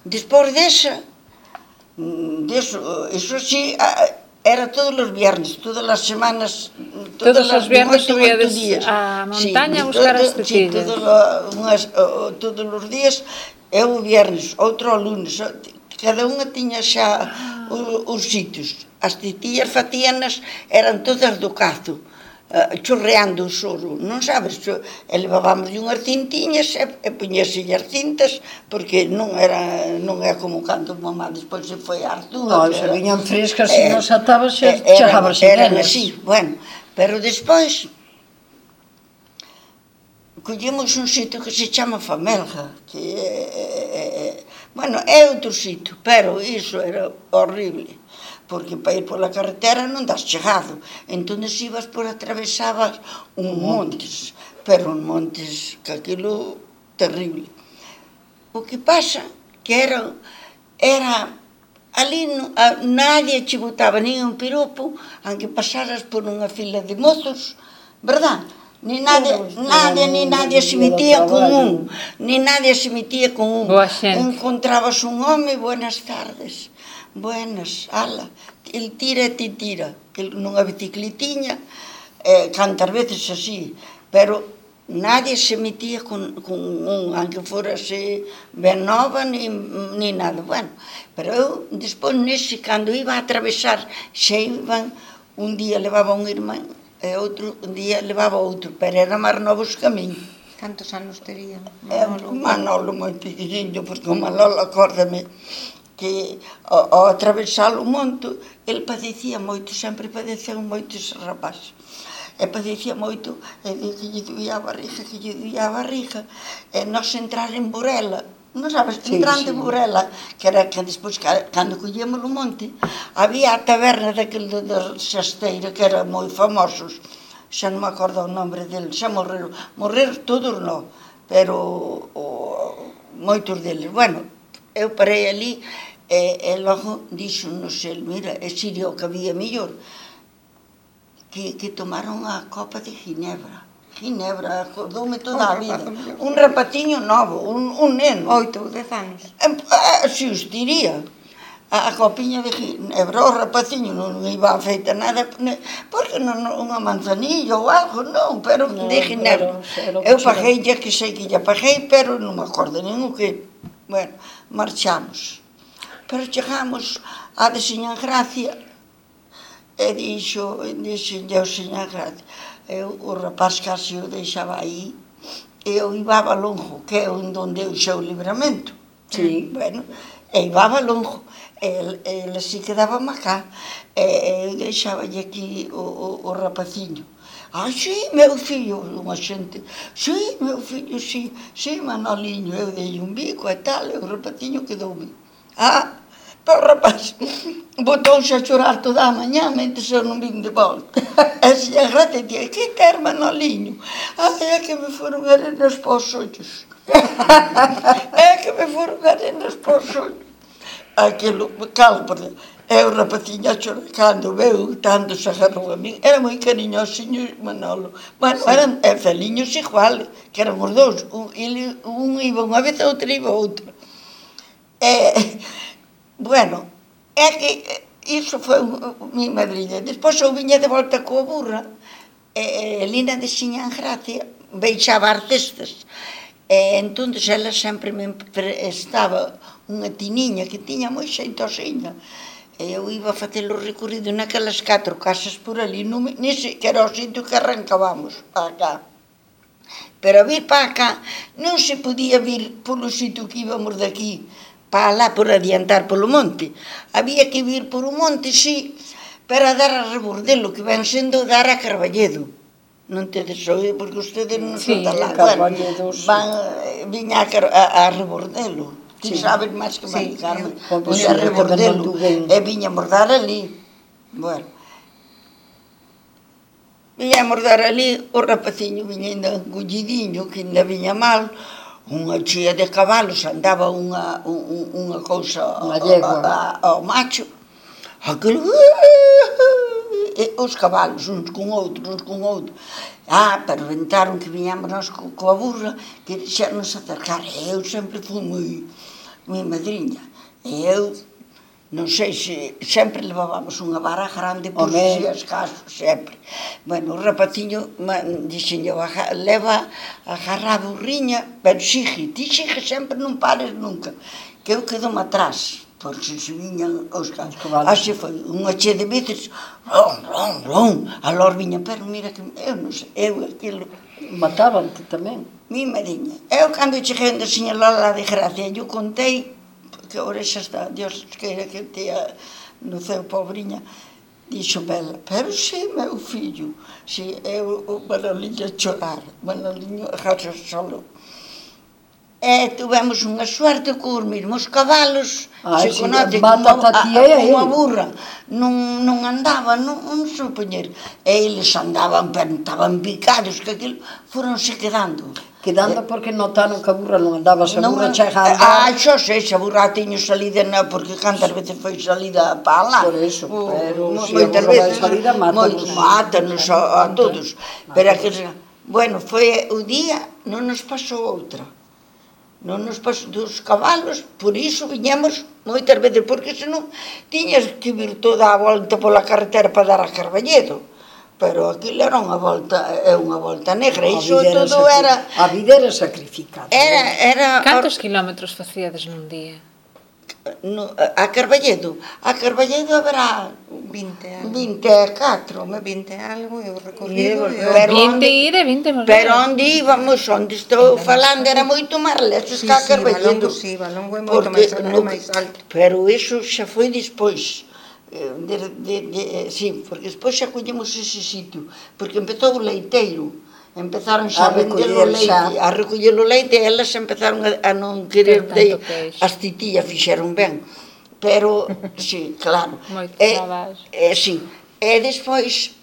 Despois desa, iso sí, era todos os viernes, todas as semanas, Todos os viernes 8 subíades días. á montaña a buscar as Sí, tetillas. todos os días, eu o viernes, outro o lunes, cada unha tiña xa os sitios. As tetillas facíanas eran todas do cazo, chorreando o soro, non sabes? E levábamos unhas cintiñas e puñese as cintas, porque non é como cando mamá despois se foi a Artúa. Non, se viñan frescas e non atabas, chegabas sin eran elas. así, bueno, pero despois collemos un sitio que se chama Famelga, que bueno, é outro sitio, pero iso era horrible, porque para ir pola carretera non das chegado, entón ibas por atravesabas un montes, pero un montes que aquilo terrible. O que pasa que era ali nadie che botaba nin un piropo, aunque pasaras por unha fila de mozos, verdad? Ni nadie se metía con un, ni nadie se metía con un. Boa xente. Encontrabas un home, buenas tardes, buenas, ala, el tira e ti tira, nunha bicicletiña, cantas veces así, pero nadie se metía con un, aunque forase ben nova, ni nada, bueno, pero eu, despois nese, cando iba a atravesar, xa iban, un día levaba un irmán, e outro día levaba outro, pero era máis novos que a min. Cantos anos tería? Manolo moi pequeniño, porque o Manolo, acórdame, que ao atravesar o monte, el padecía moito, sempre padeceu moito ese rapaz. E padecía moito, que lle doía a barriga, e nós entrar en Burela, non sabes, entrando en Burela, que era que despois, cando collíamos o monte, había a taberna daquele da Xasteira, que eran moi famosos, xa non me acordo o nombre deles, xa morreron todos non, pero moitos deles. Bueno, eu parei ali, e logo dixo-nos el, mira, e sería o que había mellor, que tomaron a copa de Ginebra, acordoume toda a vida, un rapaciño novo, un neno. 8 ou 10 anos. Si os diría, a copiña de Ginebra, o rapaciño non iba a feita nada, porque unha manzanilla ou algo, non, pero de Ginebra. Eu paguei, que sei que lle paguei, pero non me acordo nin o que. Bueno, marchamos. Pero chegamos a de Seña Gracia, e dixenlle ao Seña Gracia, o rapaz casi o deixaba aí, e eu ibaba longo, que é onde eu xa o libramento. Sí. Bueno, e ibaba longo, e así quedaba acá, e eu deixaballe aquí o rapaciño. Sí, meu fillo, unha xente, sí, meu fillo, sí, Manoliño, eu dei un bico e tal, e o rapaciño quedoume. Pero o rapaz botouse a chorar toda a mañá, mentre eu non vim de volta. E se a Gracia día, que ter, Manoliño? É que me foron arenas para os ollos. É que me foron arenas para os ollos. Aquilo, calma, e o rapaciño a chorar, cando veu, tanto se agarrou a min, era moi cariñosinho Manolo. Bueno, eran feliños igual, que eran os dous, un iba unha vez, outro iba outra. Bueno, é que iso foi mi madriña. Despois eu viña de volta coa burra, e Lina de Xiñán Gracia beixaba as cestas, e entón ela sempre me prestaba unha tiniña que tiña moi xeitosiña, e eu iba a facer o recorrido naquelas 4 casas por ali, nese que era o sitio que arrancábamos para cá. Pero a vir para cá non se podía vir polo sitio que íbamos daqui, para lá por adiantar polo monte. Había que vir por o monte, sí, para dar a Rebordelo, que ven sendo dar a Carballedo. Non tedes oído, porque ustedes non son da lá. Viña a Rebordelo. Ti sabes máis que máis, Carmen. Viña a Rebordelo, e viñamos dar ali. Bueno, viñamos dar ali, o rapaciño viña ainda engullidiño, que ainda viña mal, unha chea de cabalos, andaba unha cousa ao macho, aquilo, os cabalos, uns con outro, pero inventaron que viñamos nós coa burra, que xa nos acercar, eu sempre fui mi madriña. E eu, non sei se sempre levábamos unha vara grande por si as casos, sempre. Bueno, o rapaciño dixenlle, leva agarrado o riña, pero sigue, ti sigue sempre, non pares nunca, que eu quedo atrás, porque se viñan os casos. Así foi, unha che de veces, alor viña, pero mira que eu non sei, eu aquilo... Mataban-te tamén. Mi madriña. Eu, cando cheguei onde a señora Lola de Gracia, eu contei, que ahora xa está, Dios queira que tea no ceo, pobriña, dixo ela, pero si, meu fillo, si, eu, o Manoliño a chorar, Manoliño a casa solo. E tuvemos unha suerte que os mesmos cabalos, se conoce unha burra, non andaba, non supoñer, e eles andaban, pero estaban picados, que aquilo, foronse quedando. Quedando porque notaron que a burra non andaba, se a burra chega a andar... Xo sei, se a burra teño salida, porque cantas veces foi salida para lá. Por eso, pero se a burra vai salida, mátanos a todos. Pero bueno, foi o día, non nos pasou outra. Non nos pasou dos cabalos, por iso viñemos moitas veces, porque senón tiñas que vir toda a volta pola carretera para dar a Carballedo. Pero aquilo era unha volta negra, iso todo era... A vida era sacrificada. Cantos kilómetros facíades nun día? A Carballedo haberá 20 24, 20 algo, e o recorrido... 20 ir e 20 volver. Pero onde íbamos, onde estou falando, era moito máis lexos que a Carballedo. Sí, Valongo é moito máis alto. Pero iso xa foi despois. Sí, porque despois xa collemos ese sitio, porque empezou o leiteiro, empezaron xa a vender o leite, a recoller o leite, e elas empezaron a non querer, as titillas fixeron ben, pero, sí, claro. Moito traballo. Sí, e despois